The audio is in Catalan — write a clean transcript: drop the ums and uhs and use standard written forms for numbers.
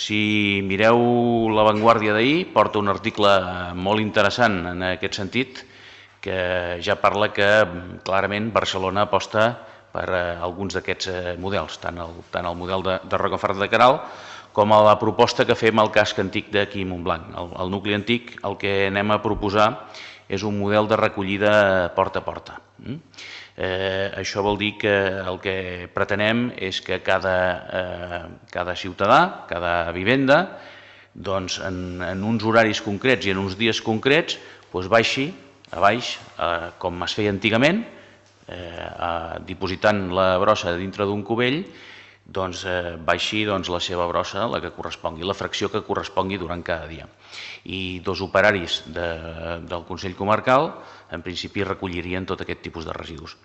Si mireu La Vanguardia d'ahir, porta un article molt interessant en aquest sentit, que ja parla que clarament Barcelona aposta per alguns d'aquests models, tant el model de Rocafort de Queralt com a la proposta que fem al casc antic d'aquí Montblanc. Al nucli antic el que anem a proposar és un model de recollida porta a porta. Això vol dir que el que pretenem és que cada ciutadà, cada vivenda, doncs en uns horaris concrets i en uns dies concrets baixi a baix, com es feia antigament, dipositant la brossa dintre d'un cubell, baixi la seva brossa, la que correspongui, la fracció que correspongui durant cada dia. I dos operaris del Consell Comarcal, en principi, recollirien tot aquest tipus de residus.